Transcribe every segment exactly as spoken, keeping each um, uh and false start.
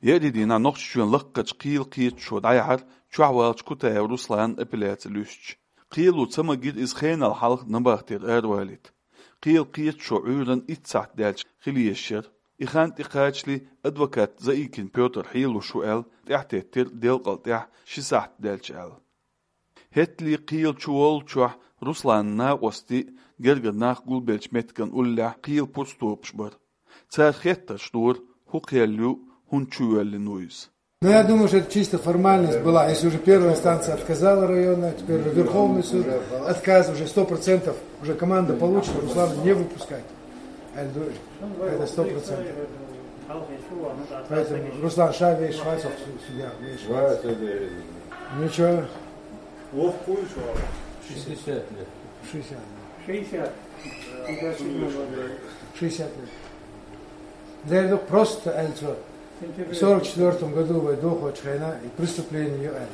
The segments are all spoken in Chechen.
Еарин дийнахь Нохчийчоьнан лакхарчу кхелан кхеташо дӀаяьхьира чохь волчу Кутаев Русланан апелляци луьстича. Кхело ца магира иза хенал хьалха набахтера аравалийта. Кхелан кхеташо Ӏуьйранна итт сахьт даьлча хила езаш яра. И хан тӀекхачале адвокат Заикин Пётр хьелуш ву аьлла, тӀаьхьатеттира делкъал тӀаьхьа ши сахьт даьлча аьлла. ХӀеттале кхелан чу воллучохь Русланан накъостий, гергара нах гулбеллачу меттиган уллехь кхелан пурстопаш бара. Цара хеттарш дора, хӀун кхел ю, хӀунда чу воьллина ву иза. Ну, я думаю, что это чисто формальность была. Если уже первая инстанция отказала районная, теперь уже Верховный суд, отказ уже сто процентов, уже команда получена, Руслана не выпускать. Я говорю, это сто процентов. Поэтому Руслан, ша веш, ша, су-, судья, веш. Ничего. Шестьдесят лет. Шестьдесят. Шестьдесят. Шестьдесят лет. Дерду просто аьлла цо. В сорок четвёртом году вай дохочу хенахь и преступление ю аьлла.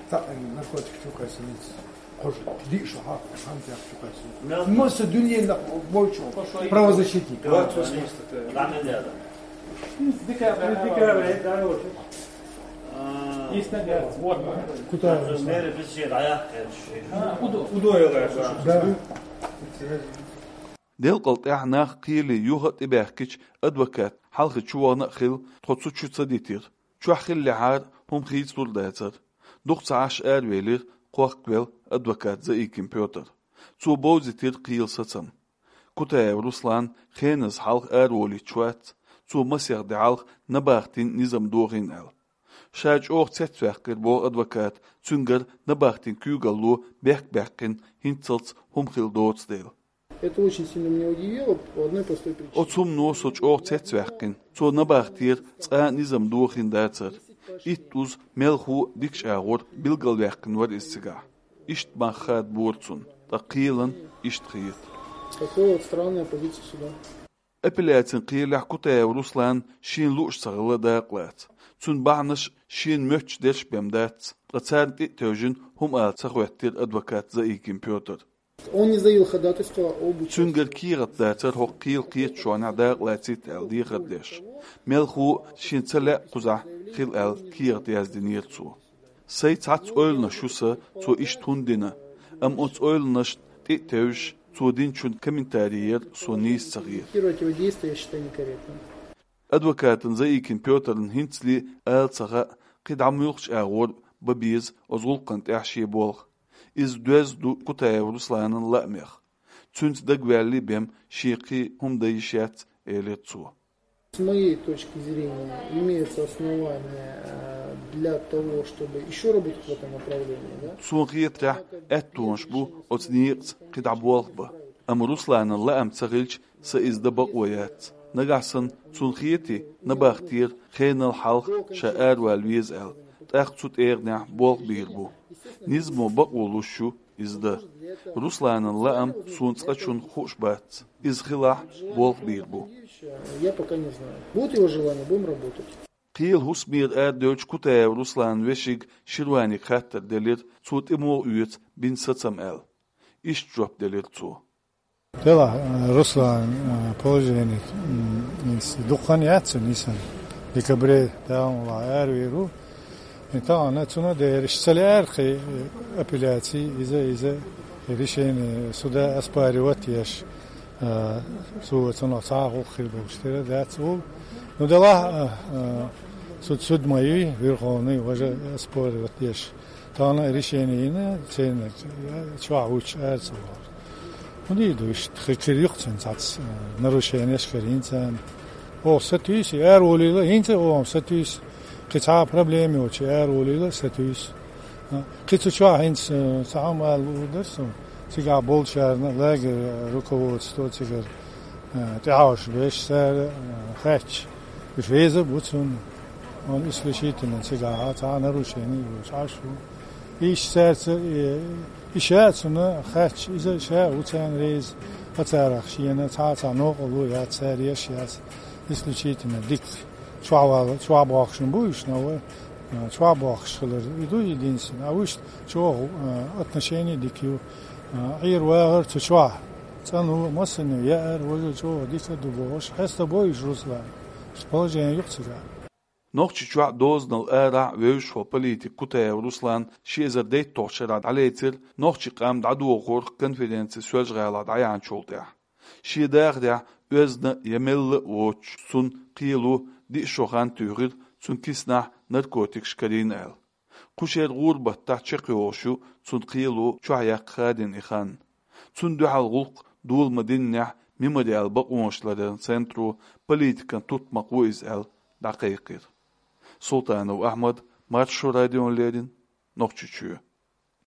Так, наркотик чу кхайсина. Кхуш, диъ шо хьа, хьан тӀехь чу кхайсина. Масса дуьненах бойчу правозащитник. Декабрь, декабрь, да, вот. Кутаев Руслан. Удо. Удо. Да. Делкъал тӀаьхьа нах кхеле юха а тӀебаьхкича, адвокат хьалхе чу вахана а хилла, тхо цу чу ца дитира. Чохь хиллехьара, хӀума хийцалур дацара. Дукха ца Ӏаш аравелира кхохкавелла адвокат Заикин Пётр. Цо бовзийтира кхелан сацам. Кутаев Руслан хеназа хьалха араволуьйтуш вац, цо масех де хьалха набахтин низам дохийна аьлла. Ша чӀогӀа цецваьккхира, боху адвоката, цуьнгара набахтин куьйгалло бехк баьккхина хӀинццалц хӀума хилла доцу дела. Это очень сильно меня удивило по одной простой причине. Оцу хӀумано со чӀогӀа цецваьккхина. Цо набахтера цкъа а низам дохийна дацара. Итт уза мелхо а дикачу агӀор билгалваьккхина вара иза цигахь. Иштта мах хадабора цунна, ткъа кхелан иштта хета. Такое вот странная позиция суда. Апелляцин кхелехь Кутаев Руслана шена лууш ца хилла дакъа лаца. Цуьнан бахьанаш шена моьттуш дерш бен дац, ткъа царна тӀе а тевжина хӀума ала ца хӀоьттира адвокат Заикин Пётр. Он не заявил ходатайство об участии. Цуьнгара кехат дацара хӀокху кхелан кхеташонехь дакъа лацийта аьлла дехар деш. Мелхо а шена ца лаьа кхузахь хила аьлла кехат яздинера цо. Сайн цхьацца ойланаш ю сан, цо иштта хӀунда дина, амма оцу ойланашна тӀе а тевжаш, цо динчун комментарий яра со нийса ца хета. Комментировать его действия я считаю некорректным. Адвокатан Заикин Пётрна хӀинцале а ала ца хаьа, кхин дӀа муьлхачу агӀор бан беза оцу гӀуллакхана тӀехь шен болх. Иза доьзна ду Кутаев Русланан лаамех. Цуьнца дагаваьлла бен шен кхин хӀума дан йиш яц, элира цо. С моей точки зрения, имеются основания, э, для того, чтобы ещё работать в этом направлении, да? Суна хетарехь, аьттонаш бу оцу некъаца кхин дӀа болх бан. Амма Русланан лаам ца хилча, сан иза дан бакъо яц. Нагахь санна цунна хетий, набахтера хенал хьалха ша аравала веза аьлла, тӀаккха цу тӀегӀанехь болх бийр бу. Низамо бакъо луш ю иза дан. Русланан лаам суна цкъачунна хууш бац. Иза хилахь, болх бийр бу. Я пока не знаю. Будет его желание, будем работать. Кхелан хӀусамера арадевллачу Кутаев Русланан вешин Ширванига хаттар делира, цо тӀе муха оьцу бина сацам аьлла. Иштта жоп делира цо. Делахь, э, Руслан, э, положение, м, дукха хан яц цуьнан йисина. Декабре тӀаьхьа ван аравийр ву. И тахана цунна дерриш ца лаьара кхин, э, апелляций, иза, иза, и решение суда оспаривать еш, э, цо цунах цхьа а гӀуллакх хир болуш тера дац ву. Ну, делахь, э, э, суд, суд ма юй, Верховный, важа оспаривать еш. Тахана решение йина, церан чохь вуьтуш ара ца вахара. ХӀун дийр ду иштта, хи-, хир ю-кх цуьнан цхьацца, э, нарушенеш карийна царна. Оха сатуьйсу, араволийла, хӀинца а оха сатуьйсу. Кхин цхьа а проблема йоцуш араволийла, сатуьйсу. А, кхин цу чохь хӀинца, э, цхьа хӀума ала луур дара суна. Цигахь болчарна, лагерь руководство цигара, э, тӀаьхьош беш, цара, э, хаьттича, уьш веза а бу цунна. Он исключительно цигахь цхьа а нарушение йоцуш Ӏаш ву. Иштта цаьрца, э, и ша а цунна хаьттича, иза ша а ву царна реза, ткъа царах шена цхьа а цхьа новкъарло яц, цара еш яц. Исключительно дика чохь вала, чохь бохкуш бу уьш, но вай, э, чохь бохкуш хилар, и ду единственное. А вуьшта чӀогӀа, э, отношение дика ю. Э, Ӏер вахар цу чохь. ЦӀанву, массане яар, важа чӀогӀа дика ду бохуш. Хьеста бо уьш, Руслан. Уьш положение ю-кх цигахь. Нохчийчохь а, дозанал арахь а вевзаш волу политик Кутаев Руслан ши эзар дейтталгӀачу шарахь дӀалецира нохчийн къам дӀадохорах конференци Соьлжа-ГӀалахь дӀаяьхьначул тӀаьхьа. Шен дахарехь оьзда я мелла а воцуш, цуьнан кхело диъ шо хан туьйхира, цуьнан киснахь наркотикаш карийна аьлла. Кху шеран гӀуран баттахь чекхйолуш ю цуьнан кхело чохь яккха хадийна и хан. Цунна дуьхьал гӀуллакх дола ма-диннехь, Мемориалан бакъонаш ларъяран центро политикан тутмакх ву иза аьлла дӀакхайкхийра. Султанов Ахьмад, Маршо радиона леррина, Нохчийчоь.